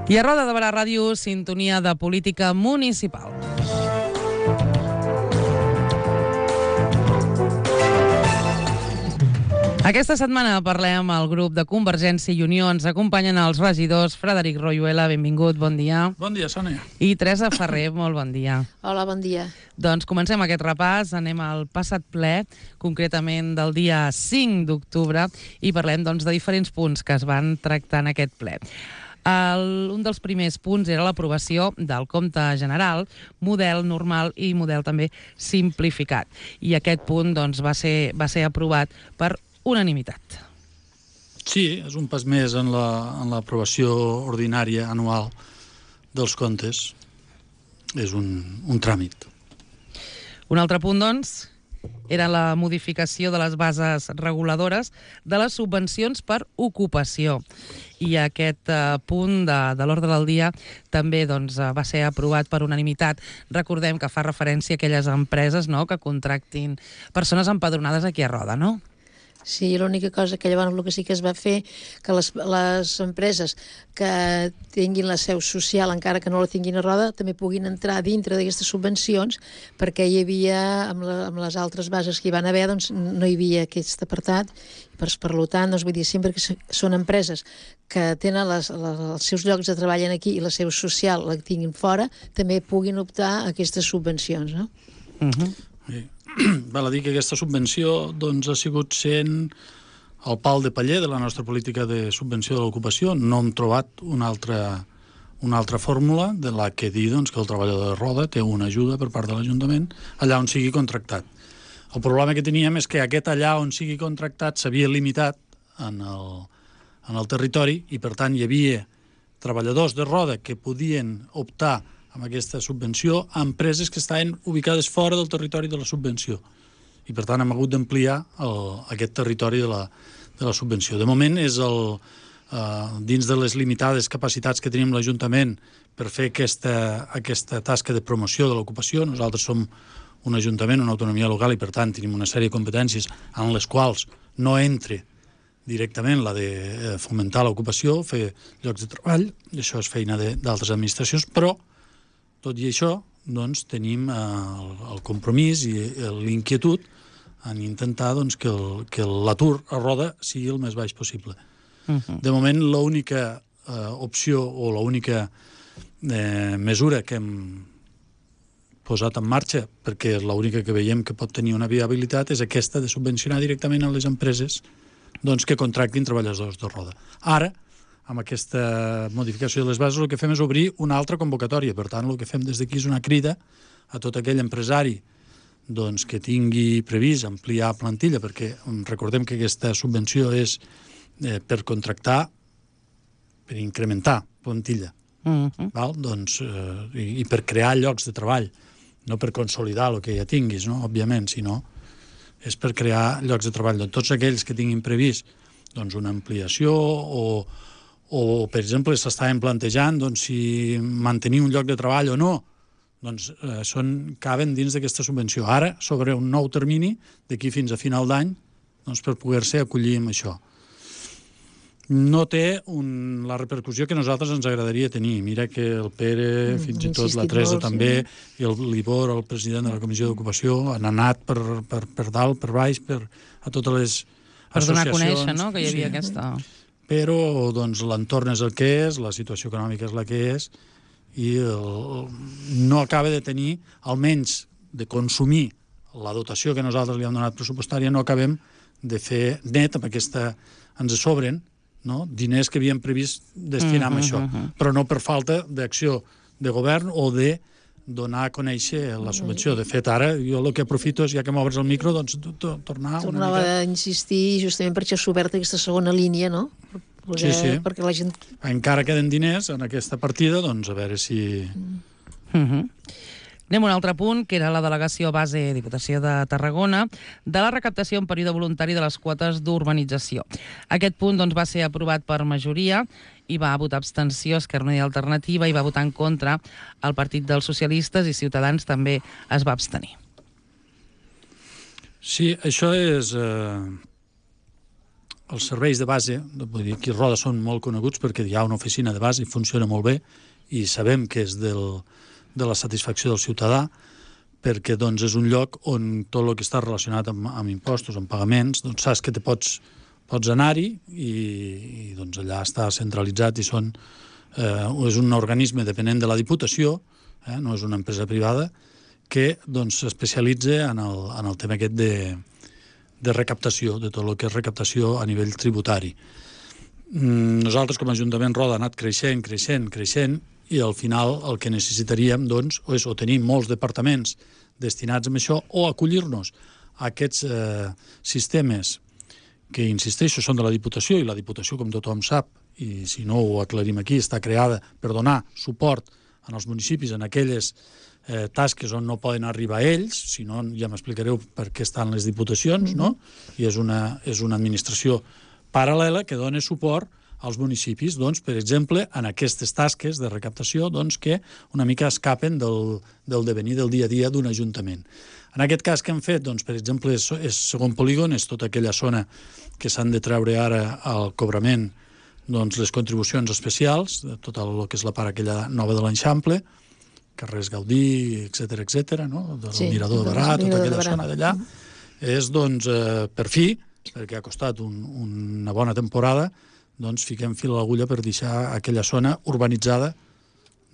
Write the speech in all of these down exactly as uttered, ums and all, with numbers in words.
I a Roda de Barà Ràdio, sintonia de política municipal. Aquesta setmana parlem amb el grup de Convergència i Unió. Ens acompanyen els regidors Frederic Royuela, benvingut, bon dia. Bon dia, Sònia. I Teresa Ferrer, molt bon dia. Hola, bon dia. Doncs comencem aquest repàs, anem al passat ple, concretament del dia cinc d'octubre, i parlem doncs, de diferents punts que es van tractar en aquest ple. El, un dels primers punts era l'aprovació del compte general, model normal i model també simplificat. I aquest punt doncs, va ser, va ser aprovat per unanimitat. Sí, és un pas més en la, en l'aprovació ordinària anual dels comptes. És un, un tràmit. Un altre punt, doncs, era la modificació de les bases reguladores de les subvencions per ocupació. I aquest eh, punt de, de l'ordre del dia també doncs, va ser aprovat per unanimitat. Recordem que fa referència a aquelles empreses, no?, que contractin persones empadronades aquí a Roda, no? Sí, l'única cosa que llavors el que sí que es va fer, que les, les empreses que tinguin la seu social, encara que no la tinguin a Roda, també puguin entrar dintre d'aquestes subvencions, perquè hi havia, amb, la, amb les altres bases que hi van haver, doncs no hi havia aquest apartat. Per, per tant, doncs, vull dir, sempre que són empreses que tenen les, les, els seus llocs de treball aquí i la seu social la tinguin fora, també puguin optar a aquestes subvencions, no? Uh-huh. Sí. Val a dir que aquesta subvenció doncs, ha sigut sent el pal de paller de la nostra política de subvenció de l'ocupació. No hem trobat una altra, una altra fórmula de la que dir doncs, que el treballador de Roda té una ajuda per part de l'Ajuntament allà on sigui contractat. El problema que teníem és que aquest allà on sigui contractat s'havia limitat en el, en el territori i, per tant, hi havia treballadors de Roda que podien optar amb aquesta subvenció a empreses que estaven ubicades fora del territori de la subvenció. I, per tant, hem hagut d'ampliar el, aquest territori de la, de la subvenció. De moment, és el, eh, dins de les limitades capacitats que tenim l'Ajuntament per fer aquesta, aquesta tasca de promoció de l'ocupació. Nosaltres som un ajuntament, una autonomia local, i, per tant, tenim una sèrie de competències en les quals no entre directament la de fomentar l'ocupació, fer llocs de treball, i això és feina d'altres administracions, però tot i això, doncs, tenim eh, el, el compromís i l'inquietud en intentar doncs, que, el, que l'atur a Roda sigui el més baix possible. Uh-huh. De moment, l'única eh, opció o l'única eh, mesura que hem posat en marxa, perquè és l'única que veiem que pot tenir una viabilitat, és aquesta de subvencionar directament a les empreses doncs, que contractin treballadors de Roda. Ara, amb aquesta modificació de les bases, el que fem és obrir una altra convocatòria. Per tant, el que fem des d'aquí és una crida a tot aquell empresari doncs, que tingui previst ampliar plantilla, perquè recordem que aquesta subvenció és eh, per contractar, per incrementar plantilla, uh-huh. val? Doncs, eh, i, i per crear llocs de treball, no per consolidar el que ja tinguis, no? Òbviament, sinó és per crear llocs de treball. Doncs tots aquells que tinguin previst doncs, una ampliació o o, per exemple, s'estaven plantejant doncs, si mantenir un lloc de treball o no, doncs eh, són, caben dins d'aquesta subvenció. Ara, sobre un nou termini, d'aquí fins a final d'any, doncs, per poder-se acollir amb això. No té un, la repercussió que a nosaltres ens agradaria tenir. Mira que el Pere, mm, fins i tot la Teresa molt, també, sí. I el l'Ibor, el president de la Comissió d'Ocupació, han anat per, per, per dalt, per baix, per, a totes les per associacions. Per donar a conèixer, no?, que hi havia sí. aquesta... Però doncs, l'entorn és el que és, la situació econòmica és la que és, i el, no acaba de tenir, almenys de consumir la dotació que nosaltres li hem donat pressupostària, no acabem de fer net amb aquesta... Ens sobren, no?, diners que havíem previst destinar a això, uh-huh. però no per falta d'acció de govern o de donar a conèixer la subvenció. De fet, ara, jo el que aprofito és, ja que m'obres el micro, doncs tornar Tornava una mica... a insistir, justament per això s'ha obert aquesta segona línia, no? Sí, Perquè, sí. Perquè la gent... Encara queden diners en aquesta partida, doncs a veure si... Uh-huh. Anem a un altre punt, que era la delegació base Diputació de Tarragona de la recaptació en període voluntari de les quotes d'urbanització. Aquest punt doncs, va ser aprovat per majoria i va votar abstenció Esquerra Unida i Alternativa i va votar en contra el Partit dels Socialistes i Ciutadans també es va abstenir. Sí, això és... Eh... els serveis de base, vull dir, aquí a Roda són molt coneguts perquè hi ha una oficina de base i funciona molt bé i sabem que és del, de la satisfacció del ciutadà, perquè doncs, és un lloc on tot el que està relacionat amb, amb impostos, amb pagaments, doncs saps que te pots, pots anar-hi i, i doncs, allà està centralitzat i són, eh, és un organisme dependent de la Diputació, eh, no és una empresa privada, que doncs, s'especialitza en, el, en el tema aquest de, de recaptació, de tot el que és recaptació a nivell tributari. Nosaltres, com a Ajuntament Roda, ha anat creixent, creixent, creixent, i al final el que necessitaríem doncs, és o tenir molts departaments destinats a això o acollir-nos a aquests eh, sistemes que, insisteixo, són de la Diputació, i la Diputació, com tothom sap, i si no ho aclarim aquí, està creada per donar suport als municipis en aquelles eh, tasques on no poden arribar ells, si no ja m'explicareu per què estan les diputacions, no? I és una, és una administració paral·lela que dona suport als municipis, doncs, per exemple, en aquestes tasques de recaptació doncs, que una mica escapen del, del devenir del dia a dia d'un ajuntament. En aquest cas que hem fet, doncs, per exemple, és, és segon polígon, és tota aquella zona que s'han de treure ara al cobrament doncs, les contribucions especials, tot el que és la part aquella nova de l'Eixample, carrers Gaudí, etcètera, etcètera, no? Del sí, Mirador de Barà, tota aquella zona d'allà, és, doncs, eh, per fi, perquè ha costat un, una bona temporada, doncs fiquem fil a l'agulla per deixar aquella zona urbanitzada,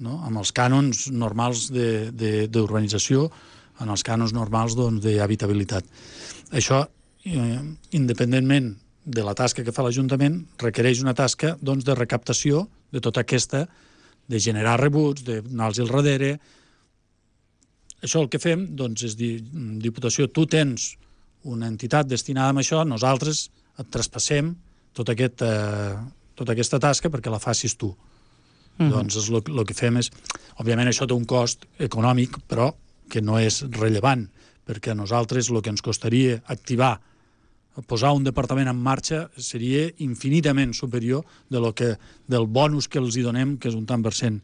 no? Amb els cànons normals d'urbanització, en els cànons normals d'habitabilitat. Doncs, això, eh, independentment de la tasca que fa l'Ajuntament, requereix una tasca doncs, de recaptació de tota aquesta, de generar rebuts, d'anar-los al darrere. Això el que fem doncs, és dir, Diputació, tu tens una entitat destinada a això, nosaltres et traspassem Tot aquest, eh, tota aquesta tasca perquè la facis tu. Mm-hmm. Doncs el, el que fem és... Òbviament això té un cost econòmic, però que no és rellevant, perquè a nosaltres el que ens costaria activar, posar un departament en marxa, seria infinitament superior de lo que, del bonus que els hi donem, que és un tant per cent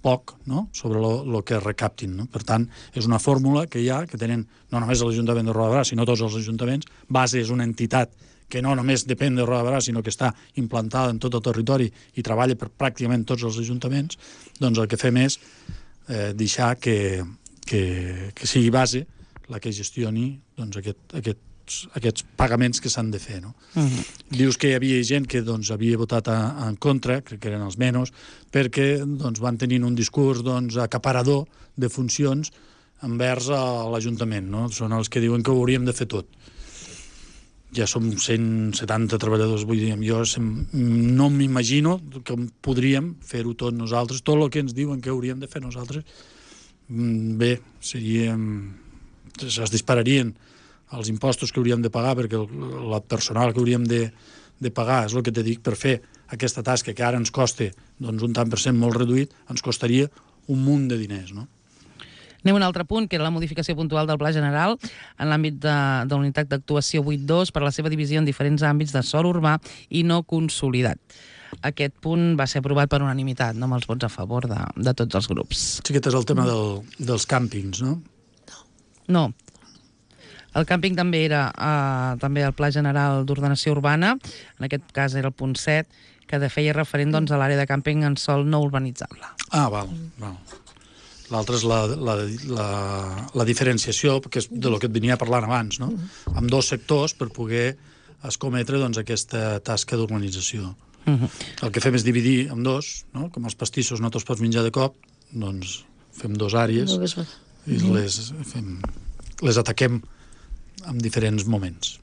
poc, no? Sobre el que recaptin. No? Per tant, és una fórmula que hi ha, que tenen no només l'Ajuntament de Roda de Barà, sinó tots els ajuntaments. Base és una entitat que no només depèn de Roda de Barà, sinó que està implantada en tot el territori i treballa per pràcticament tots els ajuntaments, doncs el que fem és eh, deixar que, que, que sigui base la que gestioni doncs, aquest, aquests, aquests pagaments que s'han de fer. No? Uh-huh. Dius que hi havia gent que doncs, havia votat a, en contra, crec que eren els menys, perquè doncs, van tenint un discurs doncs, acaparador de funcions envers l'Ajuntament. No? Són els que diuen que ho hauríem de fer tot. Ja som cent setanta treballadors, vull dir, jo no m'imagino que podríem fer-ho tot nosaltres, tot el que ens diuen que hauríem de fer nosaltres, bé, seríem... es dispararien els impostos que hauríem de pagar, perquè el, el personal que hauríem de, de pagar, és el que te dic, per fer aquesta tasca que ara ens costa doncs, un tant per cent molt reduït, ens costaria un munt de diners, no? Anem a un altre punt, que era la modificació puntual del Pla General en l'àmbit de, de la unitat d'actuació vuit dos per la seva divisió en diferents àmbits de sòl urbà i no consolidat. Aquest punt va ser aprovat per unanimitat, no amb els vots a favor de, de tots els grups. Sí, aquest és el tema del, dels càmpings, no? No. El càmping també era eh, també el Pla General d'Ordenació Urbana, en aquest cas era el punt set, que de feia referent doncs, a l'àrea de càmping en sòl no urbanitzable. Ah, val, val. L'altre és la, la, la, la diferenciació, que és de lo que et venia parlant abans, no? Mm-hmm. Amb dos sectors per poder escometre doncs, aquesta tasca d'urbanització. Mm-hmm. El que fem és dividir en dos, no? Com els pastissos no te'ls pots menjar de cop, doncs fem dos àrees no, i les, fem, les ataquem en diferents moments.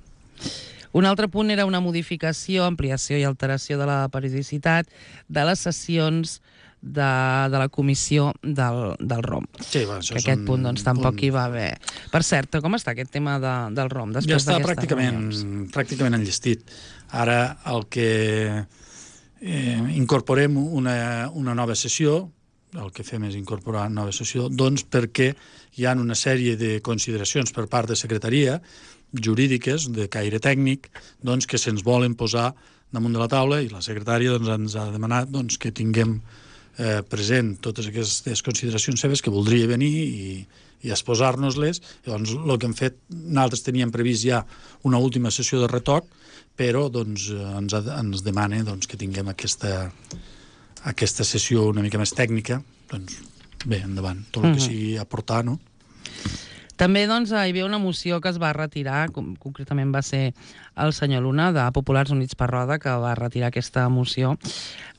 Un altre punt era una modificació, ampliació i alteració de la periodicitat de les sessions de, de la comissió del, del R O M. Sí, va, això que aquest punt doncs, tampoc punt... hi va haver. Per cert, com està aquest tema de, del R O M? Ja està pràcticament, pràcticament enllestit. Ara el que eh, incorporem una, una nova sessió, el que fem és incorporar una nova sessió, doncs perquè hi ha una sèrie de consideracions per part de secretaria jurídiques, de caire tècnic, doncs que se'ns volen posar damunt de la taula i la secretària doncs, ens ha demanat doncs, que tinguem eh, present totes aquestes consideracions seves, que voldria venir i, i exposar-nos-les. Llavors, el que hem fet, nosaltres teníem previst ja una última sessió de retoc, però doncs, ens, ens demana doncs, que tinguem aquesta, aquesta sessió una mica més tècnica. Doncs bé, endavant, tot el que sigui aportar, no? També doncs, hi havia una moció que es va retirar, com, concretament va ser el senyor Luna, de Populars Units per Roda, que va retirar aquesta moció,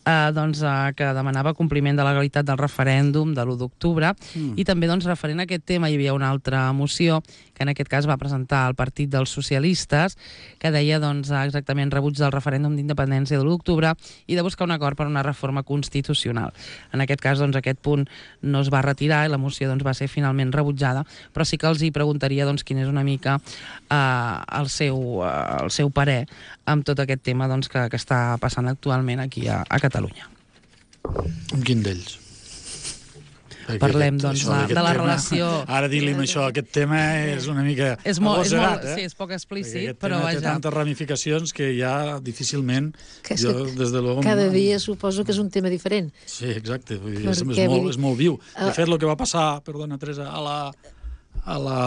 eh, doncs, eh, que demanava compliment de la legalitat del referèndum de l'u d'octubre, mm. i també doncs, referent a aquest tema hi havia una altra moció, que en aquest cas va presentar el Partit dels Socialistes, que deia doncs, exactament rebuig del referèndum d'independència de l'u d'octubre i de buscar un acord per una reforma constitucional. En aquest cas, doncs, aquest punt no es va retirar i la moció doncs, va ser finalment rebutjada, però sí que els hi preguntaria doncs, quin és una mica eh, el, seu, eh, el seu parer amb tot aquest tema doncs, que, que està passant actualment aquí a, a Catalunya. Quin d'ells? Parlem, doncs, això, de, de la tema, relació... Ara dir-li això, aquest tema és una mica és molt, agosserat, és molt, eh? sí, és poc explícit, aquest però tema vaja. té tantes ramificacions que ja difícilment... Que jo, des de luego, cada dia suposo que és un tema diferent. Sí, exacte, vull dir, és, és, Perquè, molt, vull dir, és molt viu. De uh, fet, el que va passar, perdona, Teresa, a la, a la,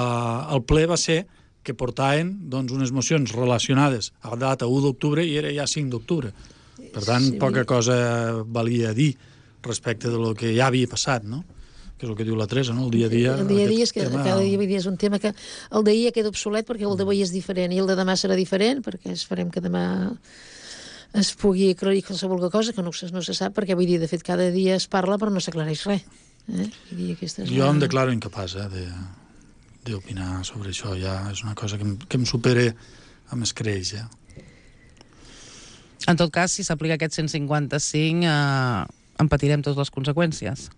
al ple va ser que portaven doncs, unes mocions relacionades a la data u d'octubre i era ja cinc d'octubre. Per tant, sí, poca cosa valia dir respecte de lo que ja havia passat, no? Que és el que diu la Teresa, no? El dia a dia... El dia a dia és que tema... cada dia, dia és un tema que el d'ahir ja queda obsolet perquè el d'avui és diferent i el de demà serà diferent perquè esperem que demà es pugui aclarir qualsevol cosa que no, no se sap perquè vull dir, de fet, cada dia es parla però no s'aclareix res. Eh? Vull dir, aquesta és jo la... em declaro incapaç eh, de, d'opinar sobre això. Ja és una cosa que em, que em supera amb escreix, ja. En tot cas, si s'aplica aquest cent cinquanta-cinc, eh, en patirem totes les conseqüències.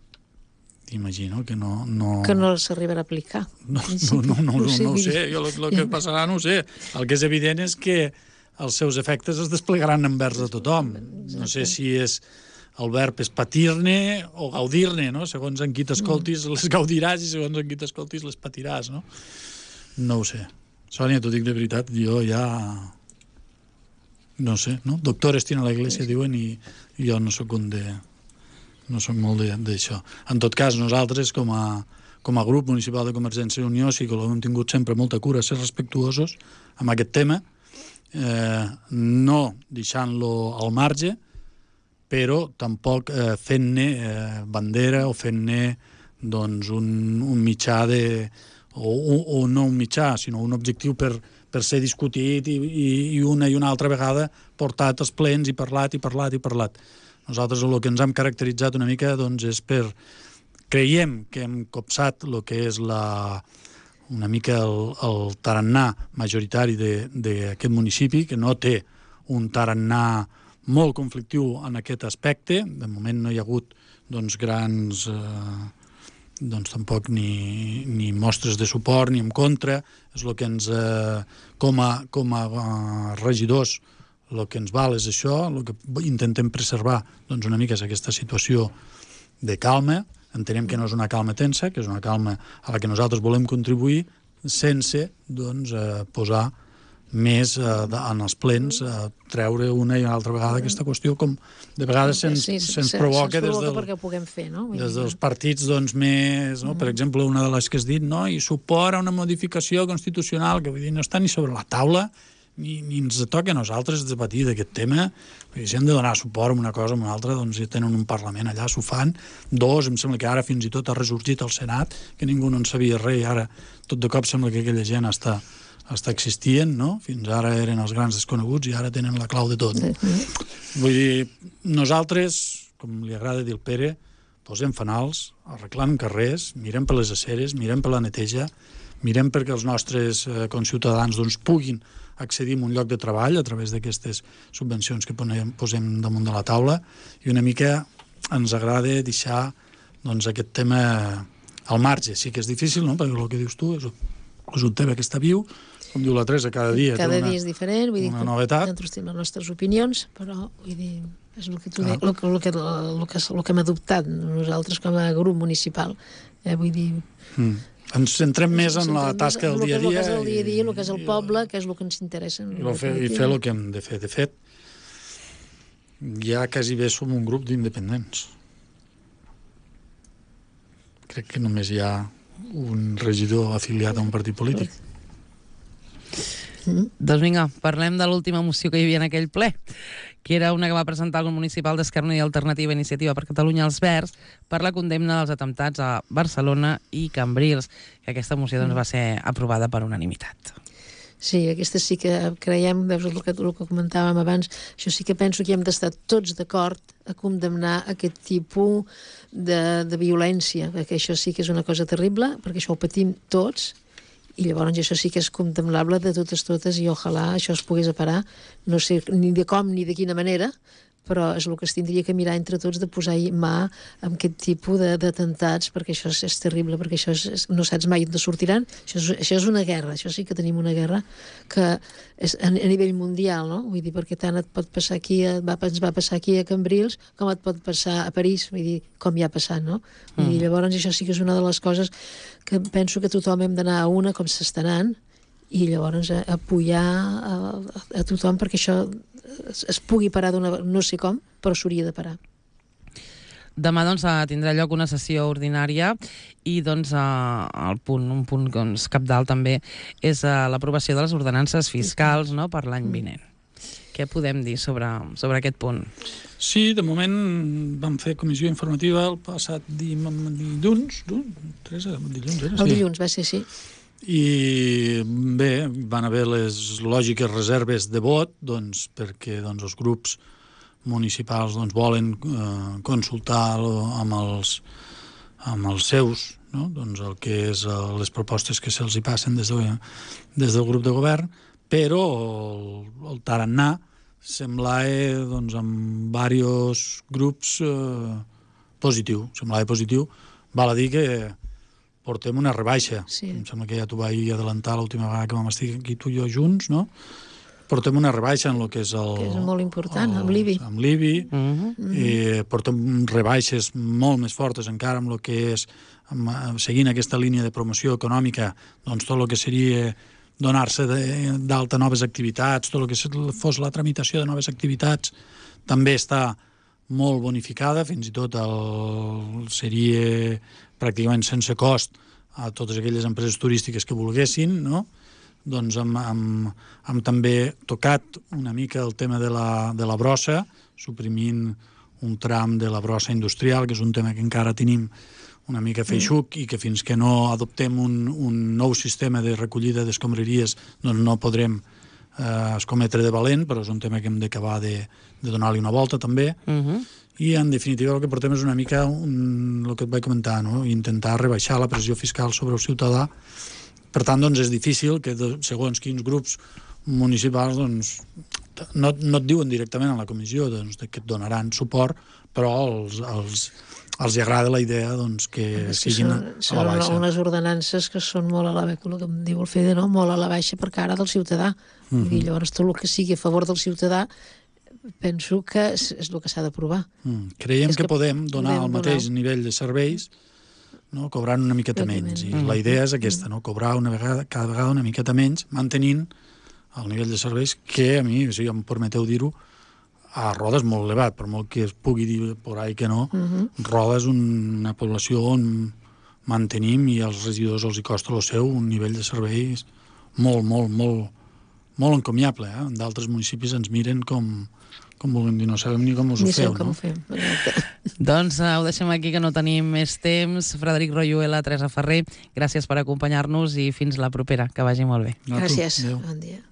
Imagino que no... no... Que no s'arribarà a aplicar. No, no, no, no, no, no ho sé, jo el, el que passarà no ho sé. El que és evident és que els seus efectes es desplegaran envers de tothom. No sé si és el verb és patir-ne o gaudir-ne, no? Segons en qui t'escoltis les gaudiràs i segons en qui t'escoltis les patiràs, no? No ho sé. Sònia, t'ho dic de veritat, jo ja... No sé, no? Doctores tiene la iglesia, diuen, i jo no sóc un de... No soc molt d'això. En tot cas, nosaltres, com a, com a grup municipal de Convergència i Unió, sí que l'hem tingut sempre molta cura, ser respectuosos amb aquest tema, eh, no deixant-lo al marge, però tampoc eh, fent-ne eh, bandera o fent-ne doncs, un, un mitjà de... O, o, o no un mitjà, sinó un objectiu per, per ser discutit i, i, i una i una altra vegada portat als plens i parlat i parlat i parlat. Nosaltres el que ens hem caracteritzat una mica doncs, és per... Creiem que hem copsat el que és la, una mica el, el tarannà majoritari d'aquest municipi, que no té un tarannà molt conflictiu en aquest aspecte. De moment no hi ha hagut doncs, grans... Eh, doncs tampoc ni, ni mostres de suport ni en contra. És el que ens... Eh, com a, com a uh, regidors el que ens val és això, el que intentem preservar doncs, una mica és aquesta situació de calma. Entenem que no és una calma tensa, que és una calma a la que nosaltres volem contribuir sense doncs, eh, posar més eh, en els plens, eh, treure una i una altra vegada aquesta qüestió, com de vegades se'ns sí, se se, provoca se des, del, perquè ho puguem fer, no? des dels partits doncs, més... No? Per exemple, una de les que has dit, no? I suport a una modificació constitucional, que vull dir, no està ni sobre la taula, ni, ni ens toca a nosaltres debatir d'aquest tema, perquè si hem de donar suport a una cosa o a una altra, doncs ja tenen un Parlament allà, s'ho fan. Dos, em sembla que ara fins i tot ha ressorgit al Senat, que ningú no en sabia res, i ara tot de cop sembla que aquella gent està, està existint, no? Fins ara eren els grans desconeguts i ara tenen la clau de tot. No? Vull dir, nosaltres, com li agrada dir el Pere, posem fanals, arreglant carrers, mirem per les aceres, mirem per la neteja, mirem perquè els nostres eh, conciutadans doncs, puguin accedir a un lloc de treball a través d'aquestes subvencions que posem, posem damunt de la taula, i una mica ens agrada deixar doncs, aquest tema al marge. Sí que és difícil, no? Perquè el que dius tu és, és un tema que està viu, com diu la Teresa, cada dia cada té una, dia és diferent, vull dir, una novetat. Nosaltres tenim les nostres opinions, però vull dir, és el que tu ah. de, el, el, que, el, que, el que hem adoptat nosaltres com a grup municipal. Eh, vull dir... Mm. Ens centrem més en la tasca del dia a dia. El que és el dia a dia, el que és el poble, que és el que ens interessa. I, fer, i fer el que hem de fer. De fet, ja quasi bé som un grup d'independents. crec que només hi ha un regidor afiliat a un partit polític. Mm. Doncs vinga, parlem de l'última moció que hi havia en aquell ple, que era una que va presentar el grup municipal d'Esquerra Unida i Alternativa Iniciativa per Catalunya als Verds per la condemna dels atemptats a Barcelona i Cambrils, que aquesta moció doncs, va ser aprovada per unanimitat. Sí, aquesta sí que creiem, veus el que, el que comentàvem abans, això sí que penso que hem d'estar tots d'acord a condemnar aquest tipus de, de violència, perquè això sí que és una cosa terrible, perquè això ho patim tots, i llavors això sí que és condemnable de totes totes i ojalà això es pogués parar, no sé ni de com ni de quina manera, però és el que es tindria que mirar entre tots de posar-hi mà amb aquest tipus d'atemptats, perquè això és, és terrible, perquè això és, no saps mai d'on sortiran, això és, això és una guerra, això sí que tenim una guerra que és a, a nivell mundial, no? Vull dir, perquè tant et pot passar aquí, et va, ens va passar aquí a Cambrils, com et pot passar a París, vull dir, com ja ha passat, no? Vull dir, llavors això sí que és una de les coses que penso que tothom hem d'anar a una com s'està anant, i llavors a, a apoyar a, a, a tothom perquè això es, es pugui parar d'una... no sé com, però s'hauria de parar. Demà doncs, tindrà lloc una sessió ordinària i doncs, el punt, un punt doncs, cabdal també és l'aprovació de les ordenances fiscals, no?, per l'any vinent. Què podem dir sobre, sobre aquest punt? Sí, de moment vam fer comissió informativa el passat dilluns, Teresa, dilluns era? El dilluns va ser, sí. I bé, van haver les lògiques reserves de vot, doncs, perquè doncs, els grups municipals doncs, volen eh, consultar amb els, amb els seus, no? Doncs, el que és eh, les propostes que se'ls hi passen des, de, des del grup de govern, però el, el tarannà semblava doncs, amb diversos grups eh, positiu, semblava positiu. Val a dir que portem una rebaixa. Sí. Em sembla que ja t'ho vaig adelantar l'última vegada que vam estar aquí tu i jo junts, no? Portem una rebaixa en el que és el... Que és molt important, el, amb l'I B I. Amb l'I B I. Uh -huh. I portem rebaixes molt més fortes encara amb el que és, amb, seguint aquesta línia de promoció econòmica, doncs tot el que seria donar-se d'alta noves activitats, tot el que fos la tramitació de noves activitats, també està molt bonificada, fins i tot el, seria pràcticament sense cost a totes aquelles empreses turístiques que volguessin, no? Doncs hem, hem, hem també tocat una mica el tema de la, de la brossa, suprimint un tram de la brossa industrial, que és un tema que encara tenim una mica feixuc i que fins que no adoptem un, un nou sistema de recollida d'escombraries doncs no podrem eh, escometre de valent, però és un tema que hem d'acabar de, de donar-li una volta també. Uh-huh. I en definitiva el que portem és una mica un, el que et vaig comentar, no? Intentar rebaixar la pressió fiscal sobre el ciutadà. Per tant, doncs, és difícil que de, segons quins grups municipals doncs, no, no et diuen directament a la comissió doncs, que et donaran suport, però els, els, els agrada la idea doncs, que és siguin que són, a la baixa. Són unes ordenances que són molt a la baixa, el que em diu el Fede, no? Molt a la baixa per cara del ciutadà. Uh-huh. I llavors tot el que sigui a favor del ciutadà penso que és, és el que s'ha d'aprovar. Mm. Creiem que, que podem donar podem el mateix donar... nivell de serveis, no? Cobrant una miqueta menys. I mm. la idea és aquesta, no? Cobrar una vegada, cada vegada una miqueta menys, mantenint el nivell de serveis que a mi, si em permeteu dir-ho, a Roda és molt elevat, per molt que es pugui dir por ahí que no, mm-hmm. Roda és una població on mantenim i als regidors els hi costa el seu un nivell de serveis molt, molt, molt, molt encomiable. Eh? D'altres municipis ens miren com... com vulguem dir, no sabem ni com us ni ho feu, com no? Ho fem. Doncs uh, ho deixem aquí, que no tenim més temps. Frederic Royuela, Teresa Ferrer, gràcies per acompanyar-nos i fins la propera. Que vagi molt bé. Gràcies. Bon dia.